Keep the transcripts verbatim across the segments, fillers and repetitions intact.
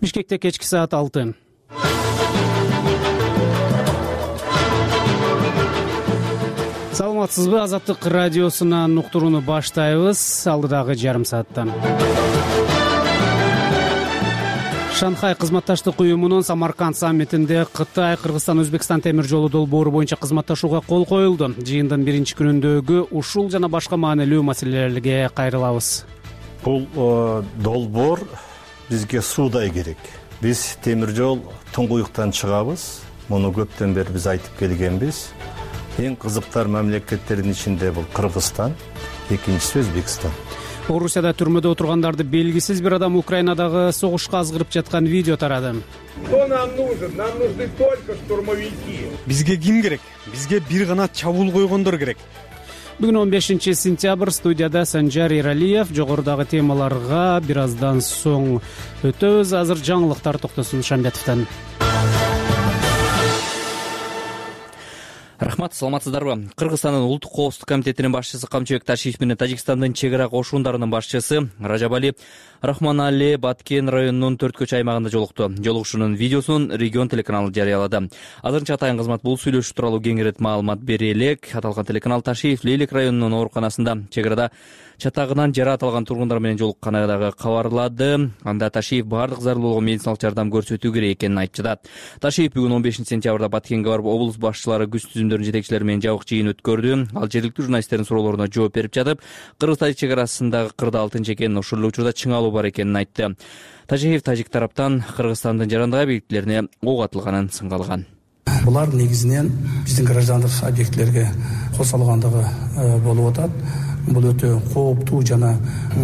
Бишкекте кечки саат алты. Саламатсызбы? Азаттык радиосунан уктурууну баштайбыз. Алдыдагы жарым сааттан. Шанхай кызматташтык уюмунун Самарканд саммитинде Кытай, Кыргызстан, Өзбекстан темир жолу долбоору боюнча кызматташууга кол коюлду. Жыйындын биринчи күнүндөгү ушул жана башка маанилүү маселелерге кайрылабыз. Бул долбоор бизге суудай керек. Биз темир жол туңгуюктан чыгабыз. Муну көптөн бери биз айтып келгенбиз. Эң кызыктар мамлекеттердин ичинде бул Кыргызстан, экинчиси Өзбекстан. Орусияда түрмөдө отургандарды белгисиз бир адам Украинадагы согушка азгырып жаткан видео тарады. Кто нам нужен? Нам нужны только штурмовики. Бизге ким керек? Бизге бир гана чабуул койгондор керек. Бүгүн он бешинчи сентябрь, студияда Санжар Эралиев. Жогорудагы темаларга бир аздан соң өтөбүз. Азыр жаңылыктар Токтосун Шамбетовдон. Рахмат, саламатсыздарбы? Кыргызстандын улуттук коопсуздук комитетинин башчысы Камчыбек Ташиев менен Тажикстандын чек ара кошундарынын башчысы Ражабали Рахманали Баткен районунун төрт көч аймагында жолукту. Жолугушуунун видеосун регион телеканалы жарыялады. Азырынча атайын кызмат бул сүйлөшүү тууралуу кеңирээт маалымат бере элек. Аталган телеканал Ташиев Лейлек районунун ооруканасында чек арада чатагынан жараат алган тургундар менен жолукканын кабарлады. Анда Ташиев баардык зарыл болгон медициналык жардам көрсөтүү керек экенин айтып жатат. Ташиев бүгүн он бешинчи сентябрда Баткенге барып, облус башчылары, күч түзүмдөрүнүн жетекчилери менен жабык жыйын өткөрдү. Ал жергиликтүү журналисттердин суроолоруна жооп берип жатып, Кыргыз-Тажик чек арасындагы кырда алтынчы экенин, ошол эле учурда чыңалуу бар экенин айтты. Тажиев Тажик тараптан Кыргызстандын жарандык объектилерине ок атылганын сынга алган. Булар негизинен биздин граждандык объектилерге кол салгандыгы болуп атат. Бул өтө кооптуу жана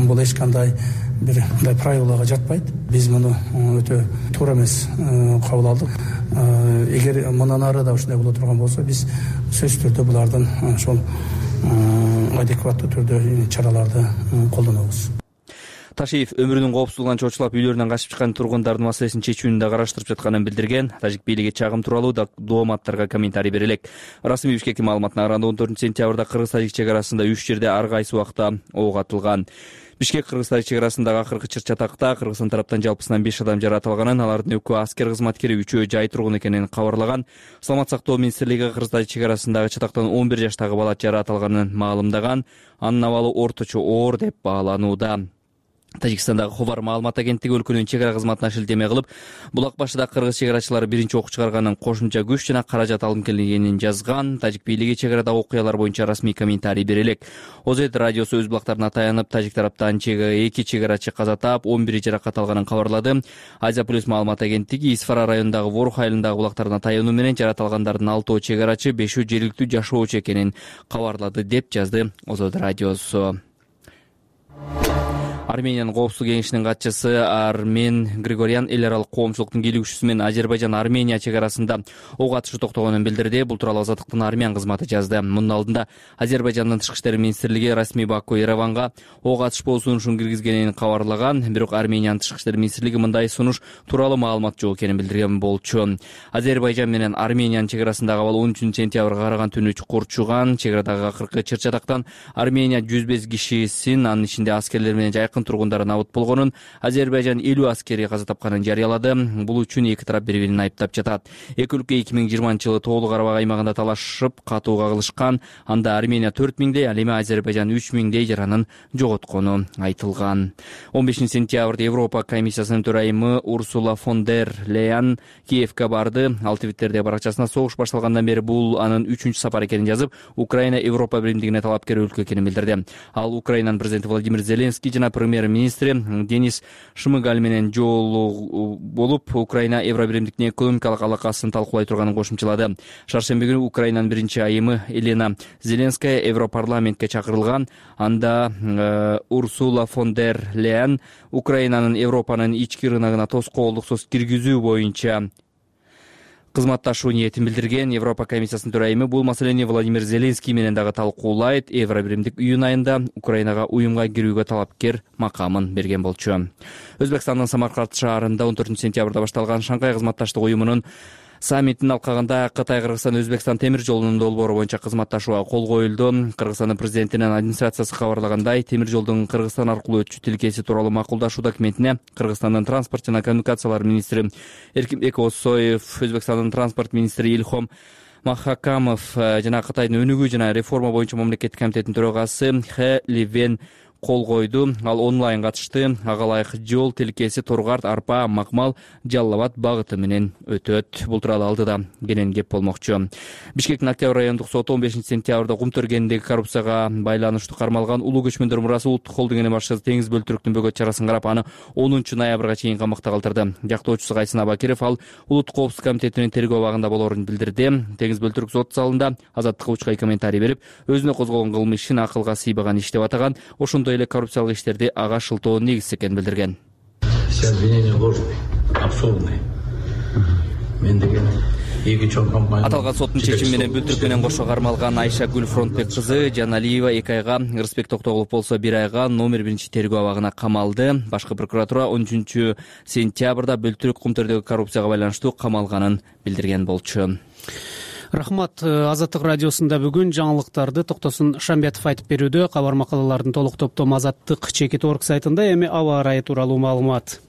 бул эч кандай бир мындай правилага жатпайт. Биз муну өтө туура эмес кабыл алдык. Эгер мындан ары да ушундай боло турган болсо, биз сөзсүз түрдө булардын ошол адекваттуу түрдө чараларды колдонобуз. Ташиев өмүрүнүн коопсуздугунан чочулап үйлөрүнөн качып чыккан тургундардын маселесин чечүүнү да караштырып жатканын билдирген. Тажик бийлиги чагым тууралуу да дооматтарга комментарий бере элек. Расмий Бишкектин маалыматына караганда он төртүнчү сентябрда Кыргыз-Тажик чек арасында үч жерде ар кайсы убакта ок атылган. Бишкек Кыргыз-Тажик чек арасындагы акыркы чыр-чатакта Кыргызстан тараптан жалпысынан беш адам жараат алганын, алардын экөө аскер кызматкери, үчөө жай тургун экенин кабарлаган. Саламат сактоо министрлиги Кыргыз-Тажик чек арасындагы чатактан он бир жаштагы бала жараат алганын маалымдаган. Анын абалы орточо оор деп бааланууда. Тажикстандагы Хобар маалымат агенттиги өлкөнүн чек ара кызматына шилтеме кылып, булак башыда кыргыз чек арачылары биринчи ок чыгарганын, кошумча күч жана каражат алынып келгенин жазган. Тажик бийлиги чек арадагы окуялар боюнча расмий комментарий бере элек. Озет радиосу өз булактарына таянып, Тажик тараптан эки чек арачы каза таап, он бири жаракат алганын кабарлады. Азия плюс маалымат агенттиги Исфара районундагы Ворух айылындагы булактарына таянуу менен жараат алгандардын алтоо чек арачы, бешөө жергиликтүү жашоочу экенин кабарлады деп жазды Озет радиосу. Армениянын коопсуздук кеңешинин катчысы Армен Григорян эл аралык коомчулуктун кийлигүүчүсү менен Азербайжан Армения чек арасында ок атышы токтогонун билдирди. Бул тууралуу Азаттыктын армян кызматы жазды. Мунун алдында Азербайжандын тышкы иштер министрлиги расмий Баку Ереванга ок атышпоо сунушун киргизгенин кабарлаган. Бирок Армениянын тышкы иштер министрлиги мындай сунуш тууралуу маалымат жок экенин билдирген болчу. Азербайжан менен Армениянын чек арасындагы абал он үчүнчү сентябрга караган түнү чукур чуган. Чек арадагы акыркы чыр-чатактан Армения жүз беш кишисин, анын ичинде аскерлер менен жайкын тургундары набыт болгонун, Азербайжан элүү аскери каза тапканын жарыялады. Бул үчүн эки тарап бири-бирин айыптап жатат. Эки өлкө эки миң жыйырманчы жылы Тоолуу Карабак аймагында талашып, катуу кагылышкан. Анда Армения төрт миңдей, ал эми Азербайжан үч миңдей жаранын жоготкону айтылган. он бешинчи сентябрда Европа комиссиясынын төрайымы Урсула фон дер Лейен Киевге барды. Ал Твиттерде баракчасына согуш башталгандан бери бул анын үчүнчү сапары экенин жазып, Украина Европа биримдигине талапкер өлкө экенин билдирди. Ал Украинанын президенти Владимир Зеленский жана премьер-министри Денис Шмыгаль менен жолугуу болуп, Украина Евробиримдиктин экономикалык алакасын талкуулай турганын кошумчалады. Шаршемби күнү Украинанын биринчи айымы Елена Зеленская Европарламентке чакырылган. Анда э, Урсула фон дер Лейен Украинанын Европанын ички рыногуна тоскоолдуксуз киргизүү боюнча кызматташуу ниетин билдирген. Европа комиссиясынын төрайымы бул маселени Владимир Зеленский менен дагы талкуулайт. Евробиримдик июнь айында Украинага уюмга кирүүгө талапкер макамын берген болчу. Өзбекстандын Самарканд шаарында он төртүнчү сентябрда башталган Шанхай кызматташтык уюмунун Саммиттин алкагында Кытай, Кыргызстан, Өзбекстан темир жолунун долбоору боюнча кызматташууга кол коюлду. Кыргызстандын президентинин администрациясы кабарлагандай, темир жолдун Кыргызстан аркылуу өтүү тилкеси тууралуу макулдашуу документине Кыргызстандын транспорт жана коммуникациялар министри Эркинбек Осоев, Өзбекстандын транспорт министри Илхом Махакамов жана Кытайдын өнүгүү жана реформа боюнча мамлекеттик комитетинин төрагасы Хэ Ливен кол койду. Ал онлайн катышты. Ага ылайык жол тилкеси Торгарт, Арпа, Макмал, Жалал Абад багыты менен өтөт. Бул тууралуу алдыда кенен кеп болмокчу. Бишкектин Октябрь райондук соту он бешинчи сентябрда Кум Төргендеги коррупцияга байланыштуу кармалган Улуу көчмөндөр мурасы улуттук холдингинин башчысы Теңиз Бөлтүрүктүн бөгөт чарасын карап, аны онунчу ноябрга чейин камакта калтырды. Жактоочусу Кайсын Абакиров ал улуттук коопсуздук комитетинин тергөө абагында болоорун билдирди. Теңиз Бөлтүрүк сот залында Азаттыкка учкай комментарий берип, өзүнө козголгон кылмыш ишин акылга сыйбаган иш деп атаган, ошондой эле коррупциялык иштерди ага шылтоо негизсиз экенин билдирген. Все обвинения ложные, абсурдные. Мен деген эки чоң компания. Аталган соттун чечими менен Бөлтүрүк менен кошо кармалган Айша Гүл Фронтбек кызы Жаналиева эки айга, Рыспек Токтогулов болсо бир айга номер биринчи тергөө абагына камалды. Башкы прокуратура он үчүнчү сентябрда Бөлтүрүк Кум Төрдөгү коррупцияга байланыштуу камалганын билдирген болчу. Рахмат. Азаттык радиосунда бүгүн жаңылыктарды Токтосун Шамбетов айтып берүүдө. Кабар макалалардын толук топтому Азаттык чекит орг сайтында. Эми аба ырайы тууралуу маалымат.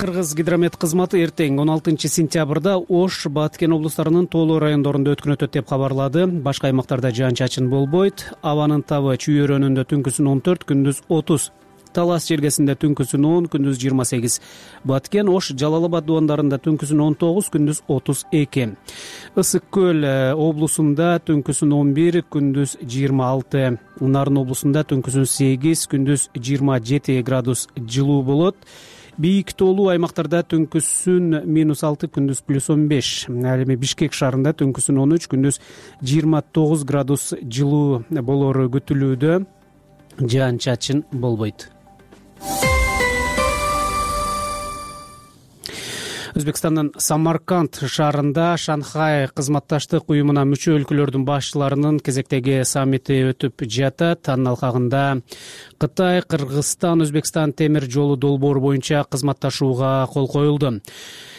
Кыргыз гидромет кызматы эртең он алтынчы сентябрда Ош, Баткен облустарынын тоолуу райондорунда өткөн өтөт деп кабарлады. Башка аймактарда жаан-чачын болбойт. Абанын табы Чүй-өрөөнүндө түнкүсүн он төрт, күндүз отуз. Талас жергесинде түнкүсүн он, күндүз жыйырма сегиз. Баткен, Ош, Жалал Абад дубандарында түнкүсүн он тогуз, күндүз отуз эки. Ысык көл облусунда түнкүсүн он бир, күндүз жыйырма алты. Нарын облусунда түнкүсүн сегиз, күндүз жыйырма жети градус жылуу болот. Бийик тоолуу аймактарда түнкүсүн минус алты, күндүз плюс он беш. Ал эми Бишкек шаарында түнкүсүн он үч, күндүз жыйырма тогуз градус жылуу болору күтүлүүдө. Жаан-чачын болбойт. Өзбекстандын Самарканд шаарында Шанхай кызматташтык уюмуна мүчө өлкөлөрдүн башчыларынын кезектеги саммити өтүп жатат. Анын алкагында Кытай, Кыргызстан, Өзбекстан темир жолу долбоору боюнча кызматташууга кол коюлду.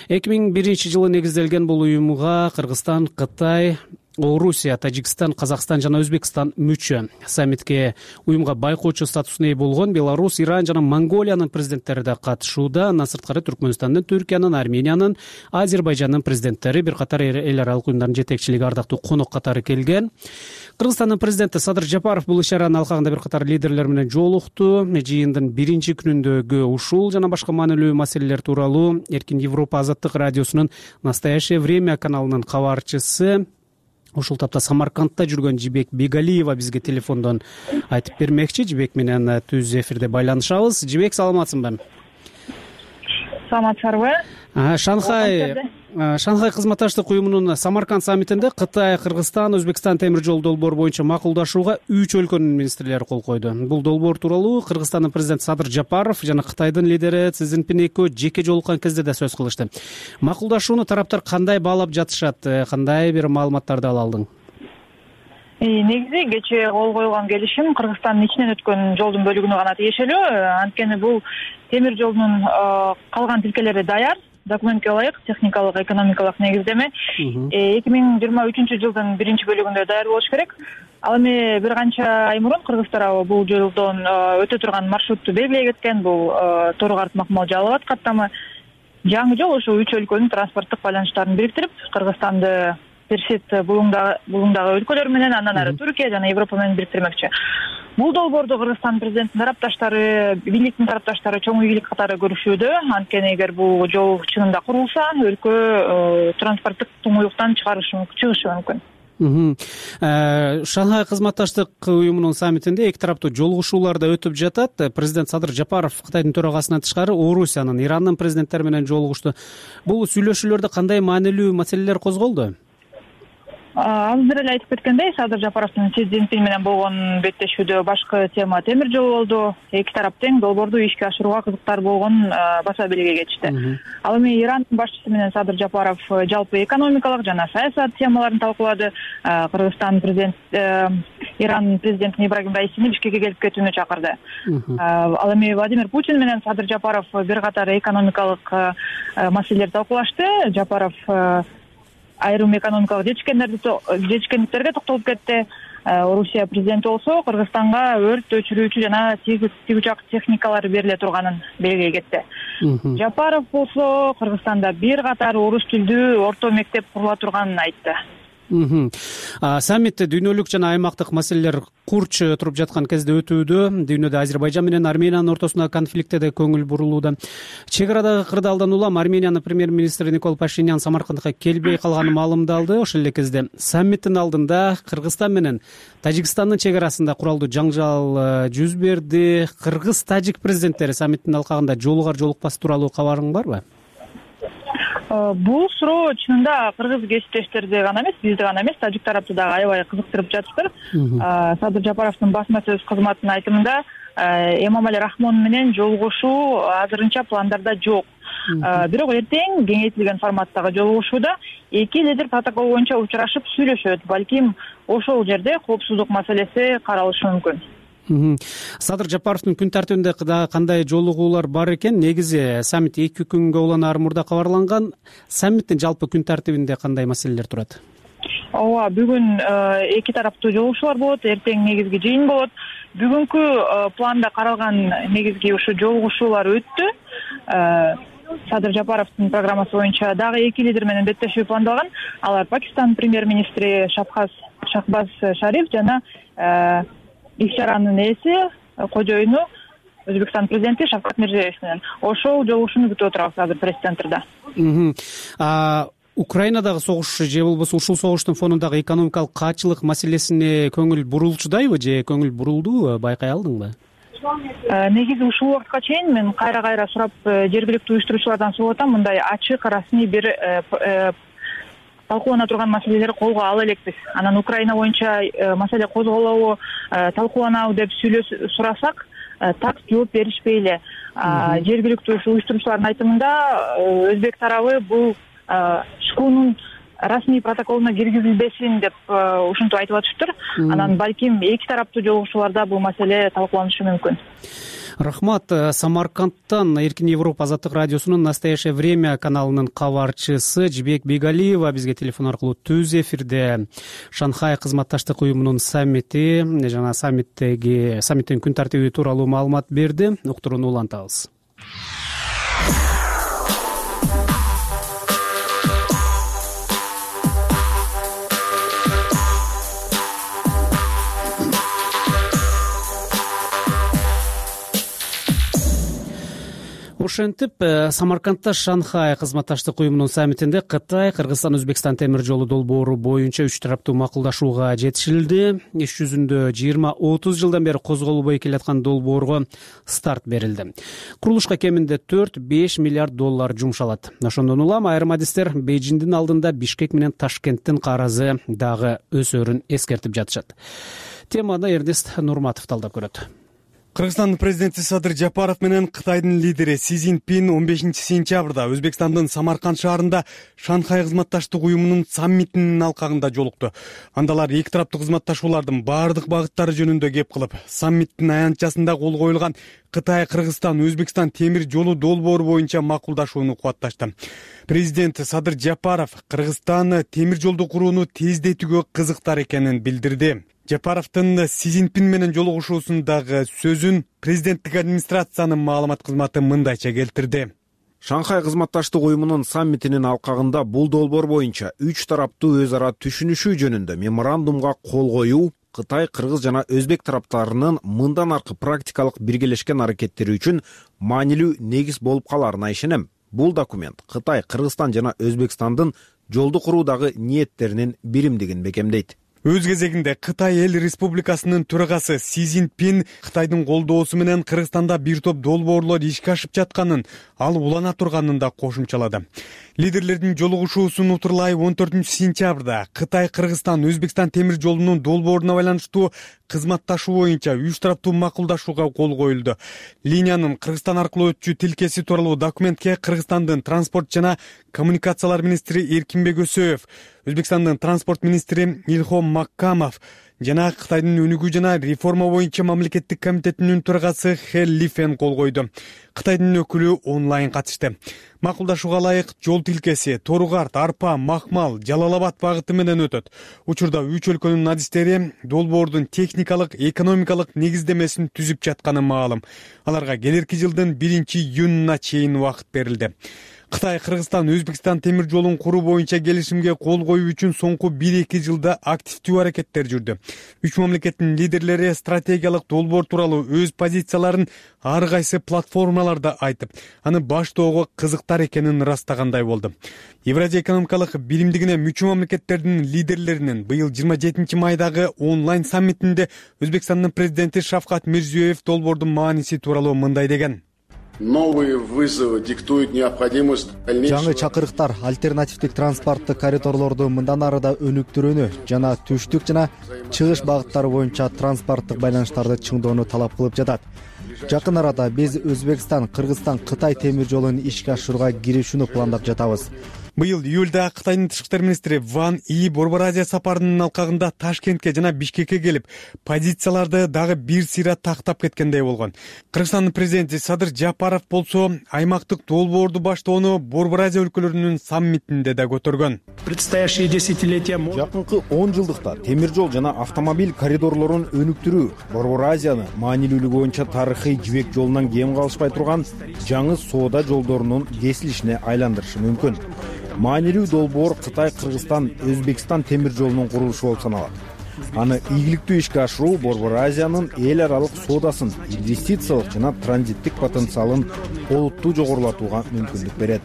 эки миң биринчи жылы негизделген бул уюмга Кыргызстан, Кытай, Орусия, Тажикстан, Казакстан жана Өзбекстан мүчө. Саммитке уюмга байкоочу статусуна ээ болгон Беларусь, Иран жана Монголиянын президенттери да катышууда. Андан сырткары Түркмөнстандын, Түркиянын, Армениянын, Азербайжандын президенттери, бир катар эл аралык уюмдардын жетекчилиги, ардактуу конок катары келген. Кыргызстандын президенти Садыр Жапаров бул иш-чаранын алкагында бир катар лидерлер менен жолукту. Жыйындын биринчи күнүндөгү ушул жана башка маанилүү маселелер тууралуу Эркин Европа Азаттык радиосунун Настоящее время каналынын кабарчысы, ушул тапта Самаркандта жүргөн Жибек Бегалиева бизге телефондон айтып бермекчи. Жибек менен түз эфирде байланышабыз. Жибек, саламатсыңбы? Саламатсыздарбы? Шанхай Шанхай кызматташтык уюмунун Самарканд саммитинде Кытай, Кыргызстан, Өзбекстан темир жол долбоору боюнча макулдашууга үч өлкөнүн министрлери кол койду. Бул долбоор тууралуу Кыргызстандын президенти Садыр Жапаров жана Кытайдын лидери Си Цзиньпин экөө жеке жолуккан кезде да сөз кылышты. Макулдашууну тараптар кандай баалап жатышат? Кандай бир маалыматтарды ала алдың? Негизи кечээ кол коюлган келишим Кыргызстандын ичинен өткөн жолдун бөлүгүнө гана тиешелүү. Анткени бул темир жолдун калган тилкелери даяр. Документке ылайык техникалык, экономикалык негиздеме эки миң жыйырма үчүнчү жылдын биринчи бөлүгүндө даяр болуш керек. Ал эми бир канча ай мурун кыргыз тарабы бул жолдон өтө турган маршрутту белгилей кеткен. Бул Торгарт, Макмал, Жалал Абад каттамы. Жаңы жол ошо үч өлкөнүн транспорттук байланыштарын бириктирип, Кыргызстанды Персид булуңдагы өлкөлөр менен, андан ары Түркия жана Европа менен бириктирмекчи. Бул долбоорду Кыргызстан президентинин тарапташтары, бийликтин тарапташтары чоң ийгилик катары көрүшүүдө. Анткени эгер бул жол чынында курулса, өлкө транспорттук туңуюктан чыгышы мүмкүн. Шанхай кызматташтык уюмунун саммитинде эки тараптуу жолугушуулар да өтүп жатат. Президент Садыр Жапаров Кытайдын төрагасынан тышкары Орусиянын, Ирандын президенттери менен жолугушту. Бул сүйлөшүүлөрдө кандай маанилүү маселелер козголду? Азыр эле айтып кеткендей, Садыр Жапаровдун Си Цзиньпин менен болгон беттешүүдө башкы тема темир жол болду. Эки тарап тең долбоорду ишке ашырууга кызыктар болгон баса белге кетишти. Ал эми Ирандын башчысы менен Садыр Жапаров жалпы экономикалык жана саясат темаларын талкуулады. Кыргызстан президент Иран президентин Ибрагим Раисини Бишкекке келип кетүүнү чакырды. Ал эми Владимир Путин менен Садыр Жапаров бир катар экономикалык маселелерди талкуулашты. Жапаров айрым экономикалык жетишкендиктерге токтолуп кетти. Орусия президенти болсо Кыргызстанга өрт өчүрүүчү жана тигучак техникалар бериле турганын белгилей кетти. Жапаров болсо Кыргызстанда бир катар орус тилдүү орто мектеп курула турганын айтты. Саммит дүйнөлүк жана аймактык маселелер курч туруп жаткан кезде өтүүдө. Дүйнөдө Азербайжан менен Армениянын ортосундагы конфликтте да көңүл бурулууда. Чек арадагы кырдаалдан улам Армениянын премьер-министри Никол Пашинян Самаркандка келбей калганы маалымдалды. Ошол эле кезде саммиттин алдында Кыргызстан менен Тажикстандын чек арасында куралдуу жаңжал жүз берди. Кыргыз-тажик президенттери саммиттин алкагында жолугар жолукпас тууралуу кабарың барбы? Бул суроо чынында кыргыз кесиптештерди гана эмес, бизди гана эмес, тажик тарапты дагы аябай кызыктырып жатыптыр. Садыр Жапаровдун басма сөз кызматынын айтымында Эмомали Рахмон менен жолугушуу азырынча пландарда жок. Бирок эртең кеңейтилген форматтагы жолугушууда эки лидер протокол боюнча учурашып сүйлөшөт. Балким ошол жерде коопсуздук маселеси каралышы мүмкүн. Садыр Жапаровдун күн тартибинде кандай жолугуулар бар экен? Негизи саммит эки күнгө уланаар мурда кабарланган. Саммиттин жалпы күн тартибинде кандай маселелер турат? Ооба, бүгүн эки тараптуу жолугушуулар болот, эртең негизги жыйын болот. Бүгүнкү планда каралган негизги ушу жолугушуулар өттү. Садыр Жапаровдун программасы боюнча дагы эки лидер менен беттешүү пландалган. Алар Пакистан премьер-министри Шахбаз Шариф жана иш-чаранын ээси, кожоюну Өзбекстан президенти Шавкат Мирзиёев менен. Ошол жолугушууну күтүп отурабыз азыр пресс-центрда. Украинадагы согуш же болбосо ушул согуштун фонундагы экономикалык каачылык маселесине көңүл бурулчудайбы же көңүл бурулдубу, байкай алдыңбы? Негизи ушул убакытка чейин мен кайра-кайра сурап жергиликтүү уюштуруучулардан сурап атам, мындай ачык, расмий бир талкуулана турган маселелерди колго ала элекпиз. Анан Украина боюнча маселе козголобу, талкууланабы деп сурасак, так жооп беришпей эле. Жергиликтүү уюштуруучулардын айтымында өзбек тарабы бул шкунун расмий протоколуна киргизилбесин деп ушинтип айтып атышыптыр. Анан балким эки тараптуу жолугушууларда бул маселе талкууланышы мүмкүн. Рахмат. Самаркандтан Эркин Европа азаттык радиосунун «Настоящее время» каналынын кабарчысы Жибек Бегалиева бизге телефон аркылуу түз эфирде Шанхай кызматташтык уюмунун саммити жана саммиттеги саммиттин күн тартиби тууралуу маалымат берди. Уктурууну улантабыз. Ошентип, Самаркандта Шанхай кызматташтык уюмунун саммитинде Кытай, Кыргызстан, Өзбекстан темир жолу долбоору боюнча үч тараптуу макулдашууга жетишилди. Иш жүзүндө жыйырма отуз жылдан бери козголбой келаткан долбоорго старт берилди. Курулушка кеминде төрт беш миллиард доллар жумшалат. Ошондон улам айрым адистер Бейжиңдин алдында Бишкек менен Ташкенттин карызы дагы өсөрүн эскертип жатышат. Теманы Эрнест Нурматов талдап көрөт. Кыргызстандын президенти Садыр Жапаров менен Кытайдын лидери Си Цзиньпин он бешинчи сентябрда Өзбекстандын Самарканд шаарында Шанхай кызматташтык уюмунун саммитинин алкагында жолукту. Андалар эки тараптуу кызматташуулардын баардык багыттары жөнүндө кеп кылып, саммиттин аянтчасында кол коюлган Кытай, Кыргызстан, Өзбекстан темир жолу долбоору боюнча макулдашууну кубатташты. Президент Садыр Жапаров Кыргызстан темир жолду курууну тездетүүгө кызыктар экенин билдирди. Жапаровдун Си Цзиньпин менен жолугушуусундагы сөзүн президенттик администрациянын маалымат кызматы мындайча келтирди. Шанхай кызматташтык уюмунун саммитинин алкагында бул долбоор боюнча үч тараптуу өз ара түшүнүшүү жөнүндө меморандумга кол коюу Кытай, Кыргыз жана Өзбек тараптарынын мындан аркы практикалык биргелешкен аракеттери үчүн маанилүү негиз болуп каларына ишенем. Бул документ Кытай, Кыргызстан жана Өзбекстандын жолду куруудагы ниеттеринин биримдигин бекемдейт. Өз кезегинде Кытай эл республикасынын төрагасы Си Цзиньпин Кытайдын колдоосу менен Кыргызстанда бир топ долбоорлор ишке ашып жатканын, ал улана турганын да кошумчалады. Лидерлердин жолугушуусу Нутурлай он төртүнчү сентябрда Кытай, Кыргызстан, Өзбекстан темир жолунун долбооруна байланыштуу кызматташуу боюнча үч тараптуу макулдашууга кол коюлду. Линиянын Кыргызстан аркылуу өтчү тилкеси тууралуу документке Кыргызстандын транспорт жана коммуникациялар министри Эркинбек Өсөев, Өзбекстандын транспорт министри Илхом Маккамов жана Кытайдын өнүгүү жана реформа боюнча мамлекеттик комитетинин төрагасы Хэ Лифен кол койду. Кытайдын өкүлү онлайн катышты. Макулдашууга ылайык жол тилкеси Тору-Карт, Арпа, Макмал, Жалал-Абад багыты менен өтөт. Учурда үч өлкөнүн адистери долбоордун техникалык, экономикалык негиздемесин түзүп жатканы маалым. Аларга келерки жылдын биринчи июнуна чейин убакыт берилди. Кытай, Кыргызстан, Өзбекстан темир жолун куруу боюнча келишимге кол коюу үчүн соңку бир-эки жылда активдүү аракеттер жүрдү. Үч мамлекеттин лидерлери стратегиялык долбоор тууралуу өз позицияларын ар кайсы платформаларда айтып, аны баштоого кызыктар экенин ырастагандай болду. Евразия экономикалык биримдигине мүчө мамлекеттердин лидерлеринин быйыл жыйырма жетинчи майдагы онлайн саммитинде Өзбекстандын президенти Шавкат Мирзиёев долбоордун мааниси тууралуу мындай деген: Новые вызовы диктуют необходимость дальнейшего. Жаңы чакырыктар альтернативдик транспорттук коридорлорду мындан ары да өнүктүрүүнү жана түштүк жана чыгыш багыттары боюнча транспорттук байланыштарды чыңдоону талап кылып жатат. Жакын арада биз Өзбекстан, Кыргызстан, Кытай темир жолун ишке ашырууга киришүүнү пландап жатабыз. Быйыл июлда Кытайдын тышкы иштер министри Ван И Борбор Азия сапарынын алкагында Ташкентке жана Бишкекке келип, позицияларды дагы бир сыйра тактап кеткендей болгон. Кыргызстандын президенти Садыр Жапаров болсо аймактык долбоорду баштоону Борбор Азия өлкөлөрүнүн саммитинде да көтөргөн. Предстоящие десятилетия жакынкы он жылдыкта темир жол жана автомобиль коридорлорун өнүктүрүү Борбор Азияны маанилүүлүгү боюнча тарыхый жибек жолунан кем калышпай турган жаңы соода жолдорунун кесилишине айландырышы мүмкүн. Маанилүү долбоор Кытай, Кыргызстан, Өзбекстан темир жолунун курулушу болуп саналат. Аны ийгиликтүү ишке ашыруу Борбор Азиянын эл аралык соодасын, инвестициялык жана транзиттик потенциалын олуттуу жогорулатууга мүмкүндүк берет,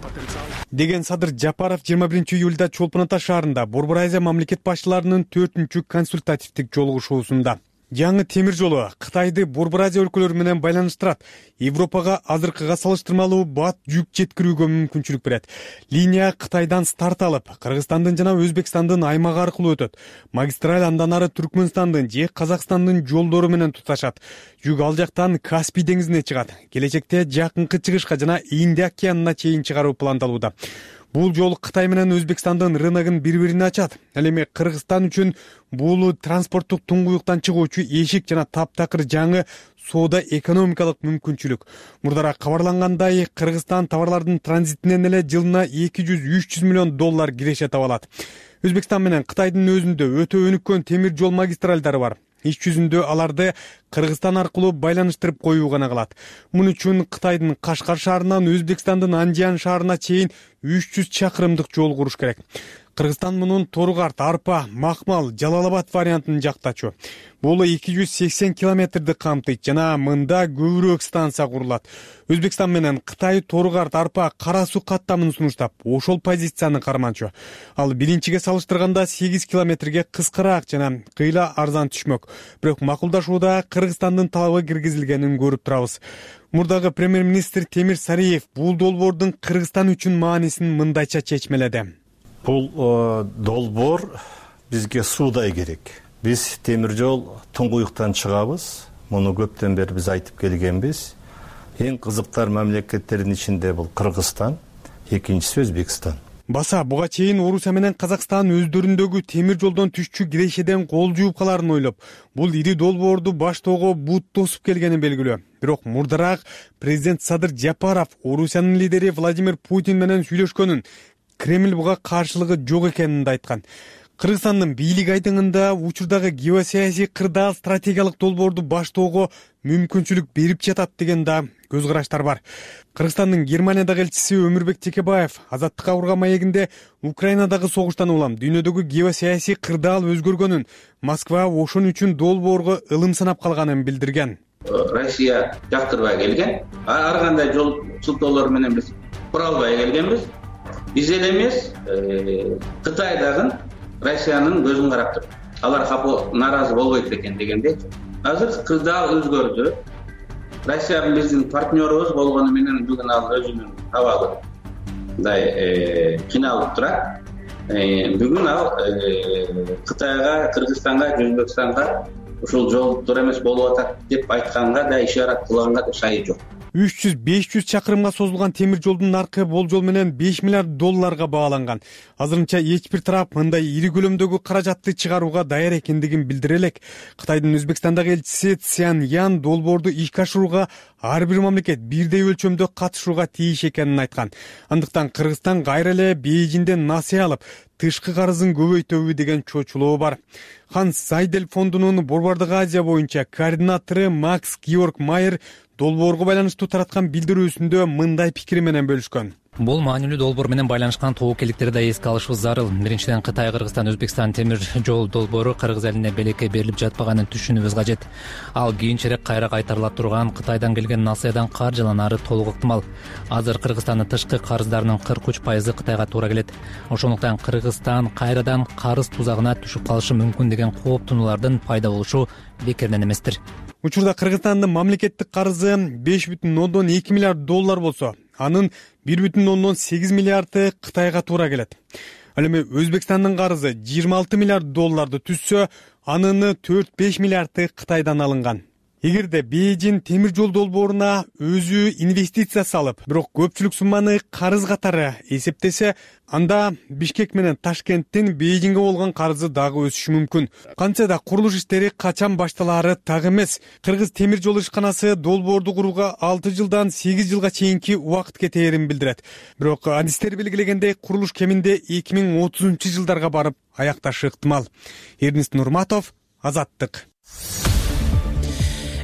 деген Садыр Жапаров жыйырма биринчи июлда Чолпон Ата шаарында Борбор Азия мамлекет башчыларынын төртүнчү консультативдик жолугушуусунда. Жаңы темир жолу Кытайды Борбор Азия өлкөлөрү менен байланыштырат. Европага азыркыга салыштырмалуу бат жүк жеткирүүгө мүмкүнчүлүк берет. Линия Кытайдан старт алып, Кыргызстандын жана Өзбекстандын аймагы аркылуу өтөт. Магистраль андан ары Түркмөнстандын же Казакстандын жолдору менен туташат. Жүк ал жактан Каспий деңизине чыгат. Келечекте жакынкы чыгышка жана Индия океанына чейин чыгаруу пландалууда. Бул жол Кытай менен Өзбекстандын рыногун бири-бирине ачат. Ал эми Кыргызстан үчүн бул транспорттук туңгуюктан чыгуучу эшик жана таптакыр жаңы соода экономикалык мүмкүнчүлүк. Мурдараак кабарлангандай, Кыргызстан товарлардын транзитинен эле жылына эки жүз үч жүз миллион доллар киреше таба алат. Өзбекстан менен Кытайдын өзүндө өтө өнүккөн темир жол магистралдары бар. Иш жүзүндө аларды Кыргызстан аркылуу байланыштырып коюу гана калат. Муну үчүн Кытайдын Кашкар шаарынан Өзбекстандын Андиян шаарына чейин үч жүз чакырымдык жол куруш керек. Кыргызстан мунун Тору-Карт, Арпа, Макмал, Жалал-Абад вариантын жактачу. Бул эки жүз сексен километрди камтыйт жана мында көбүрөөк станция курулат. Өзбекстан менен Кытай Тору-Карт, Арпа, Кара суу каттамын сунуштап, ошол позицияны карманчу. Ал биринчиге салыштырганда сегиз километрге кыскараак жана кыйла арзан түшмөк. Бирок макулдашууда Кыргызстандын талабы киргизилгенин көрүп турабыз. Мурдагы премьер-министр Темир Сариев бул долбоордун Кыргызстан үчүн маанисин мындайча чечмеледи. Бул долбоор бизге суудай керек. Биз темир жол туңгуюктан чыгабыз. Муну көптөн бери биз айтып келгенбиз. Эң кызыктар мамлекеттердин ичинде бул Кыргызстан, экинчиси Өзбекстан. Баса буга чейин Орусия менен Казакстан өздөрүндөгү темир жолдон түшчү кирешеден кол жууп каларын ойлоп, бул ири долбоорду баштоого бут тосуп келгени белгилүү. Бирок мурдараак президент Садыр Жапаров Орусиянын лидери Владимир Путин менен сүйлөшкөнүн, Кремль буга каршылыгы жок экенин да айткан. Кыргызстандын бийлик айдыңында учурдагы геосаясий кырдаал стратегиялык долбоорду баштоого мүмкүнчүлүк берип жатат деген да көз караштар бар. Кыргызстандын Германиядагы элчиси Өмүрбек Текебаев азаттыкка курган маегинде Украинадагы согуштан улам дүйнөдөгү геосаясий кырдаал өзгөргөнүн, Москва ошон үчүн долбоорго ылым санап калганын билдирген. Россия жактырбай келген, ар кандай жол сылтоолор менен биз кура албай келгенбиз. Биз эле эмес, Кытай дагы Россиянын көзүн карап туруп, алар капы нааразы болбойт экен дегендей. Азыр кырдаал өзгөрдү. Россия биздин партнерубуз болгону менен бүгүн ал өзүнүн абалы мындай кыйналып турат. Бүгүн ал Кытайга, Кыргызстанга, Өзбекстанга ушул жол туура эмес болуп атат деп айтканга да ишарат кылганга да шайы жок. үч жүз беш жүз чакырымга созулган темир жолдун наркы болжол менен беш миллиард долларга бааланган. Азырынча эч бир тарап мындай ири көлөмдөгү каражатты чыгарууга даяр экендигин билдире элек. Кытайдын Өзбекстандагы элчиси Цян Ян долбоорду ишке ашырууга ар бир мамлекет бирдей өлчөмдө катышууга тийиш экенин айткан. Андыктан Кыргызстан кайра эле Бейжиңден насыя алып, тышкы карызын көбөйтөбү деген чочулоо бар. Ханс Зайдель фондунун Борбордук Азия боюнча координатору Макс Георг Майер долбоорго байланыштуу тараткан билдирүүсүндө мындай пикири менен бөлүшкөн. Бул маанилүү долбоор менен байланышкан тобокелдиктерди да эске алышыбыз зарыл. Биринчиден, Кытай Кыргызстан Өзбекстан темир жол долбоору Кыргыз элине белекке берилип жатпаганын түшүнүүбүз кажет. Ал кийинчерээк кайра кайтарыла турган Кытайдан келген насыядан каржыланары толук ыктымал. Азыр Кыргызстандын тышкы карыздарынын кырк үч пайызы Кытайга туура келет. Ошондуктан Кыргызстан кайрадан карыз тузагына түшүп калышы мүмкүн деген кооптонуулардын пайда болушу бекерден эместир. Учурда Кыргызстандын мамлекеттик карызы беш бүтүн ондон эки миллиард доллар болсо, анын бир бүтүн ондон сегиз миллиарды Кытайга туура келет. Ал эми Өзбекстандын карызы жыйырма алты миллиард долларды түзсө, анын төрт беш миллиарды Кытайдан алынган. Эгерде Бейжиң темир жол долбооруна өзү инвестиция салып, бирок көпчүлүк сумманы карыз катары эсептесе, анда Бишкек менен Ташкенттин Бейжиңге болгон карызы дагы өсүшү мүмкүн. Кантсе да курулуш иштери качан башталаары так эмес. Кыргыз темир жол ишканасы долбоорду курууга алты жылдан сегиз жылга чейинки убакыт кетээрин билдирет. Бирок адистер белгилегендей, курулуш кеминде эки миң отузунчу жылдарга барып аякташы ыктымал. Эрнест Нурматов, Азаттык.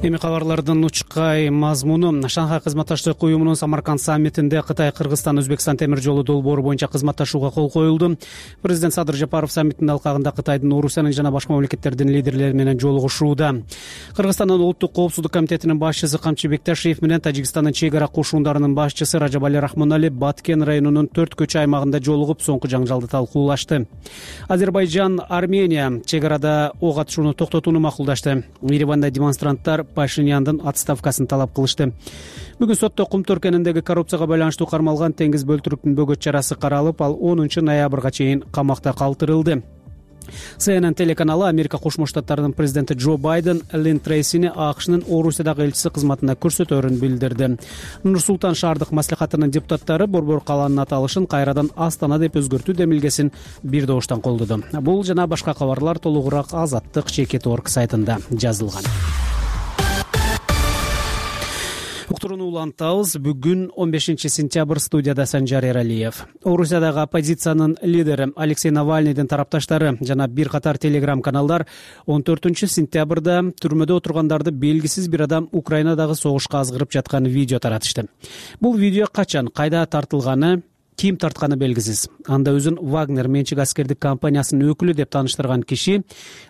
Эми кабарлардын учкай мазмуну. Шанхай кызматташтык уюмунун Самарканд саммитинде Кытай, Кыргызстан, Өзбекстан темир жолу долбоору боюнча кызматташууга кол коюлду. Президент Садыр Жапаров саммиттин алкагында Кытайдын, Орусиянын жана башка мамлекеттердин лидерлери менен жолугушууда. Кыргызстандын Улуттук коопсуздук комитетинин башчысы Камчы Бекташиев менен Тажикстандын чек ара кошундарынын башчысы Ражабали Рахмонали Баткен районунун төрт көчө аймагында жолугуп, соңку жаңжалды талкуулашты. Азербайжан, Армения чек арада ок атышууну токтотууну макулдашты. Ереванда демонстранттар Пашиняндын отставкасын талап кылышты. Бүгүн сотто Кумту өлкөнүндөгү коррупцияга байланыштуу кармалган Теңиз Бөлтүрүктүн бөгөт чарасы каралып, ал онунчу ноябрга чейин камакта калтырылды. Си Эн Эн телеканалы Америка Кошмо Штаттарынын президенти Джо Байден Лин Трейсини АКШнын Орусиядагы элчиси кызматына көрсөтөөрүн билдирди. Нур-Султан шаардык маслихатынын депутаттары Борбор калаанын аталышын кайрадан Астана деп өзгөртүү демилгесин бир добуштан колдоду. Бул жана башка кабарлар толугураак Азаттык чекит точка орг сайтында жазылган. Уктурууну улантабыз. Бүгүн он бешинчи сентябрь, студияда Санжар Эралиев. Орусиядагы оппозициянын лидери Алексей Навальныйдын тарапташтары жана бир катар телеграм каналдар он төртүнчү сентябрда түрмөдө отургандарды белгисиз бир адам Украинадагы согушка азгырып жаткан видео таратышты. Бул видео качан, кайда тартылганы, ким тартканы белгисиз. Анда өзүн Вагнер менчик аскердик компаниясынын өкүлү деп тааныштырган киши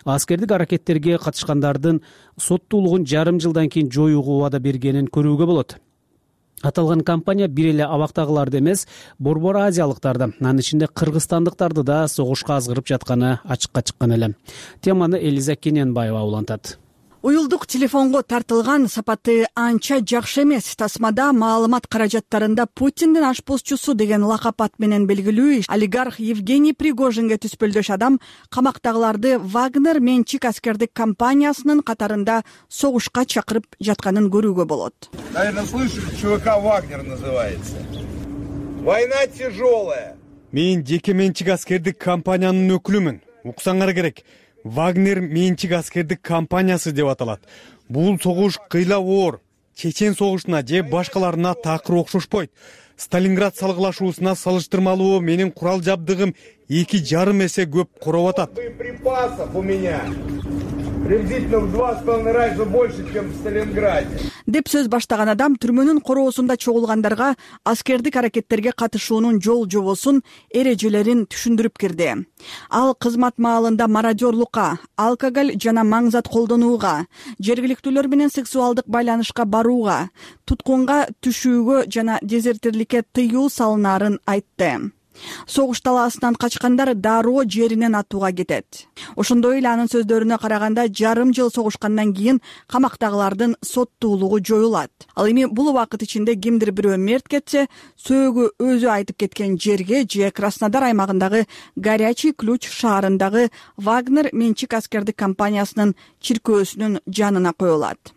аскердик аракеттерге катышкандардын соттуулугун жарым жылдан кийин жоюуга убада бергенин көрүүгө болот. Аталган компания бир эле абактагыларды эмес, Борбор азиялыктарды, анын ичинде кыргызстандыктарды да согушка азгырып жатканы ачыкка чыккан эле. Теманы Элиза Кененбаева улантат. Уюлдук телефонго тартылган сапаты анча жакшы эмес. Тасмада маалымат каражаттарында Путиндин ашпозчусу деген лакап ат менен белгилүү олигарх Евгений Пригожинге түспөлдөш адам камактагыларды Вагнер менчик аскердик компаниясынын катарында согушка чакырып жатканын көрүүгө болот. Наверное, слышали, ЧВК Вагнер называется. Война тяжелая. Мен жеке менчик аскердик компаниянын өкүлүмүн. Уксаңар керек. Вагнер менчик аскердик компаниясы деп аталат. Бул согуш кыйла оор. Чечен согушуна же башкаларына такыр окшошпойт. Сталинград салгылашуусуна салыштырмалуу менин курал жабдыгым эки жарым эсе көп короп атат. Боеприпасов у меня приблизительно в два с половиной раза больше, чем в Сталинграде. Деп сөз баштаган адам түрмөнүн короосунда чогулгандарга аскердик аракеттерге катышуунун жол жобосун, эрежелерин түшүндүрүп кирди. Ал кызмат маалында мародерлукка, алкоголь жана маңзат колдонууга, жергиликтүүлөр менен сексуалдык байланышка барууга, туткунга түшүүгө жана дезертирликке тыюу салынаарын айтты. Согуш талаасынан качкандар дароо жеринен атууга кетет. Ошондой эле анын сөздөрүнө караганда жарым жыл согушкандан кийин камактагылардын соттуулугу жоюлат. Ал эми бул убакыт ичинде кимдир бирөө мерт кетсе, сөөгү өзү айтып кеткен жерге же Краснодар аймагындагы Горячий Ключ шаарындагы Вагнер менчик аскердик компаниясынын чиркөөсүнүн жанына коюлат.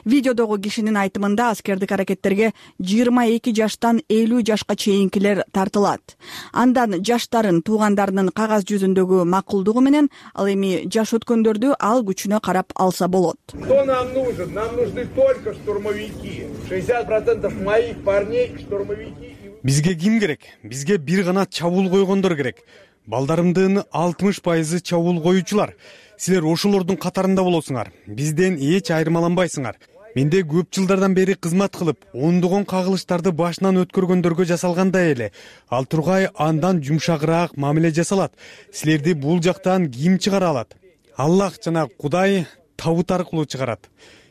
Видеодогу кишинин айтымында аскердик аракеттерге жыйырма эки жаштан элүү жашка чейинкилер тартылат. Андан жаштарын туугандарынын кагаз жүзүндөгү макулдугу менен ал эми жаш өткөндөрдү ал күчүнө карап алса болот. Что нам нужен? Нам нужны только штурмовики. шестьдесят процентов моих парней штурмовики. Бизге ким керек? Бизге бир гана чабуул койгондор керек. Балдарымдын алтымыш пайызы чабуул коюучулар. Силер ошолордун катарында болосуңар. Бизден эч айырмаланбайсыңар. Менде көп жылдардан бери кызмат кылып, ондогон кагылыштарды башынан өткөргөндөргө жасалгандай эле. Ал тургай андан жумшагыраак мамиле жасалат. Силерди бул жактан ким чыгара алат? Аллах жана Кудай табыт аркылуу чыгарат.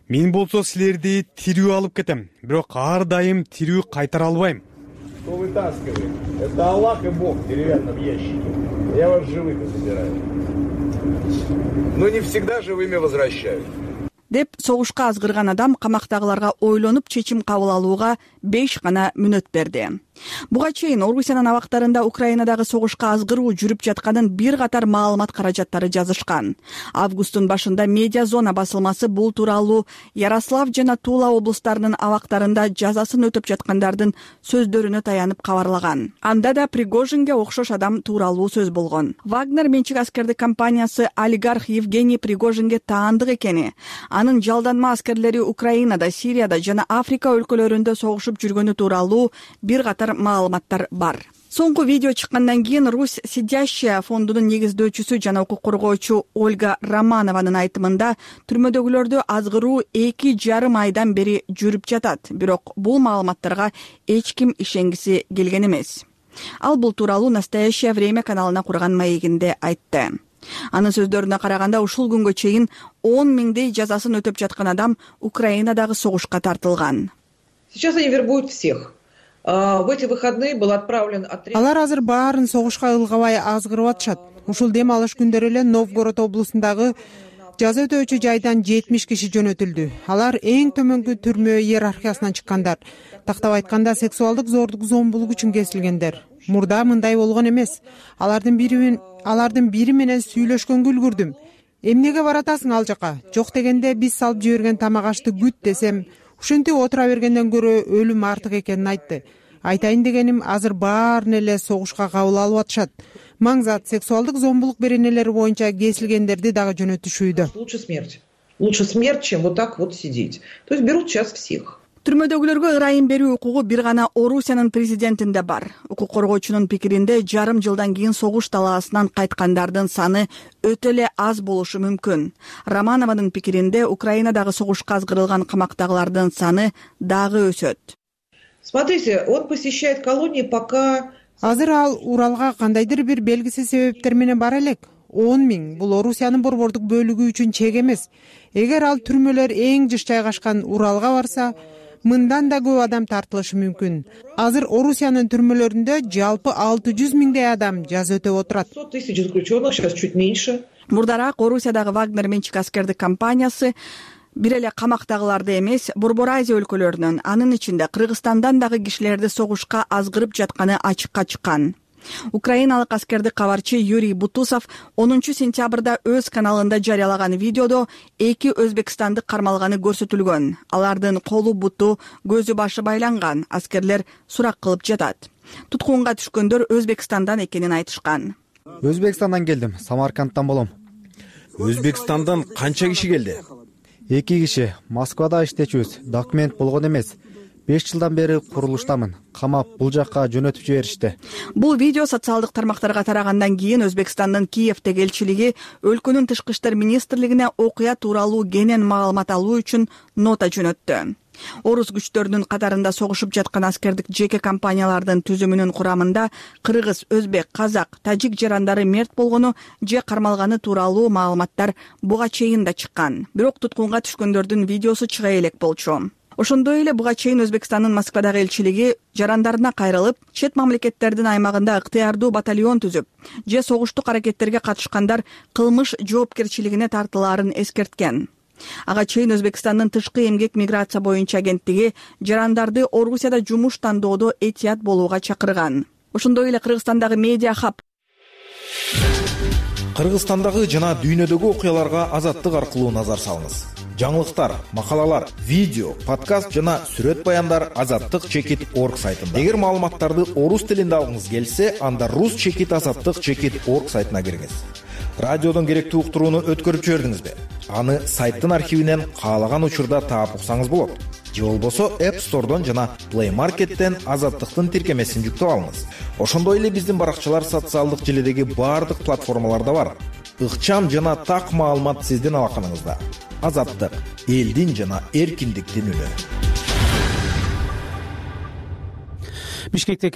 Мен болсо силерди тирүү алып кетем, бирок ар дайым тирүү кайтара албайм. Что вытаскиваем? Это Аллах и Бог в деревянном ящике. Я вас живых забираю. Но не всегда живыми возвращают. Деп согушка азгырган адам камактагыларга ойлонуп чечим кабыл алууга беш гана мүнөт берди. Буга чейин Орусиянын абактарында Украинадагы согушка азгыруу жүрүп жатканын бир катар маалымат каражаттары жазышкан. Августтун башында Медиа Зона басылмасы бул тууралуу Ярослав жана Тула облустарынын абактарында жазасын өтөп жаткандардын сөздөрүнө таянып кабарлаган. Анда да Пригожинге окшош адам тууралуу сөз болгон. Вагнер менчик аскердик компаниясы олигарх Евгений Пригожинге таандык экени, анын жалданма аскерлери Украинада, Сирияда жана Африка өлкөлөрүндө согушуп жүргөнү тууралуу бир катар маалыматтар бар. Соңку видео чыккандан кийин Русь сидящая фондунун негиздөөчүсү жана укук коргоочу Ольга Романованын айтымында түрмөдөгүлөрдү азгыруу эки жарым айдан бери жүрүп жатат, бирок бул маалыматтарга эч ким ишенгиси келген эмес. Ал бул тууралуу «Настоящее время» каналына курган маегинде айтты. Анын сөздөрүнө караганда ушул күнгө чейин он миңдей жазасын өтөп жаткан адам Украинадагы согушка тартылган. Сейчас они вербуют всех. В эти выходные был отправлен отряд. Алар азыр баарын согушка ылгабай азгырып атышат. Ушул дем алыш күндөрү эле Новгород облусундагы жаза өтөөчү жайдан жетимиш киши жөнөтүлдү. Алар эң төмөнкү түрмө иерархиясынан чыккандар. Тактап айтканда сексуалдык зордук зомбулук үчүн кесилгендер. Мурда мындай болгон эмес. Алардын бири алардын бири менен сүйлөшкөнгө үлгүрдүм. Эмнеге баратасың ал жака? Жок дегенде биз салып жиберген тамак ашты күт десем, ушинтип отура бергенден көрө өлүм артык экенин айтты. Айтайын дегеним, азыр баарын эле согушка кабыл алып атышат. Маңзат сексуалдык зомбулук беренелери боюнча кесилгендерди дагы жөнөтүшүүдө. Лучше смерть. Лучше смерть, чем вот так вот сидеть. То есть берут сейчас всех. Түрмөдөгүлөргө ырайым берүү укугу бир гана Орусиянын президентинде бар. Укук коргоочунун пикиринде жарым жылдан кийин согуш талаасынан кайткандардын саны өтө эле аз болушу мүмкүн. Романованын пикиринде Украинадагы согушка азгырылган камактагылардын саны дагы өсөт. Смотрите, он посещает колонии пока... Азыр ал Уралга кандайдыр бир белгисиз себептер менен бара элек. он миң бул Орусиянын борбордук бөлүгү үчүн чек эмес. Эгер ал түрмөлөр эң жыш жайгашкан Уралга барса, мындан да көп адам тартылышы мүмкүн. Азыр Орусиянын түрмөлөрүндө жалпы алты жүз миңдей адам жаза өтөп отурат. сто тысяч заключенных, сейчас чуть меньше. Мурдараак Орусиядагы Вагнер менчик аскердик компаниясы бир эле камактагыларды эмес, Борбор Азия өлкөлөрүнөн, анын ичинде Кыргызстандан дагы кишилерди согушка азгырып жатканы ачыкка чыккан. Украиналык аскердик кабарчы Юрий Бутусов онунчу сентябрда өз каналында жарыялаган видеодо эки өзбекстандык кармалганы көрсөтүлгөн. Алардын колу буту, көзү башы байланган. Аскерлер сурак кылып жатат. Туткунга түшкөндөр Өзбекстандан экенин айтышкан. Өзбекстандан келдим, Самаркандтан болом. Өзбекстандан канча киши келди? эки киши. Москвада иштечүбүз. Документ болгон эмес. беш жылдан бери курулуштамын. Камап бул жакка жөнөтүп жиберишти. Бул видео социалдык тармактарга тарагандан кийин Өзбекстандын Киевдеги элчилиги өлкөнүн тышкы иштер министрлигине окуя тууралуу кенен маалымат алуу үчүн нота жөнөттү. Орус күчтөрүнүн катарында согушуп жаткан аскердик жеке компаниялардын түзүмүнүн курамында кыргыз, өзбек, казак, тажик жарандары мерт болгону же кармалганы тууралуу маалыматтар буга чейин да чыккан. Бирок туткунга түшкөндөрдүн видеосу чыга элек болчу. Ошондой эле буга чейин Өзбекстандын Москвадагы элчилиги жарандарына кайрылып, чет мамлекеттердин аймагында ыктыярдуу батальон түзүп, же согуштук аракеттерге катышкандар кылмыш жоопкерчилигине тартылаарын эскерткен. Ага чейин Өзбекстандын тышкы эмгек миграция боюнча агенттиги жарандарды Орусияда жумуш тандоодо этият болууга чакырган. Ошондой эле Кыргызстандагы Медиа Хаб Кыргызстандагы жана дүйнөдөгү окуяларга азаттык аркылуу назар салыңыз. жаңылыктар, макалалар, видео, подкаст жана сүрөт баяндар азаттык чекит орг сайтында. Эгер маалыматтарды орус тилинде алгыңыз келсе, анда рус чекит азаттык чекит орг сайтына кириңиз. Радиодон керектүү уктурууну өткөрүп жибердиңизби? Аны сайттын архивинен каалаган учурда таап уксаңыз болот. Же болбосо App Store'дон жана Play Market'тен азаттыктын тиркемесин жүктөп алыңыз. Ошондой эле биздин баракчалар социалдык желедеги баардык платформаларда бар. Ыкчам жана так маалымат сиздин алаканыңызда. Азаттык, элдин жана эркиндиктин үнү. Бишкекте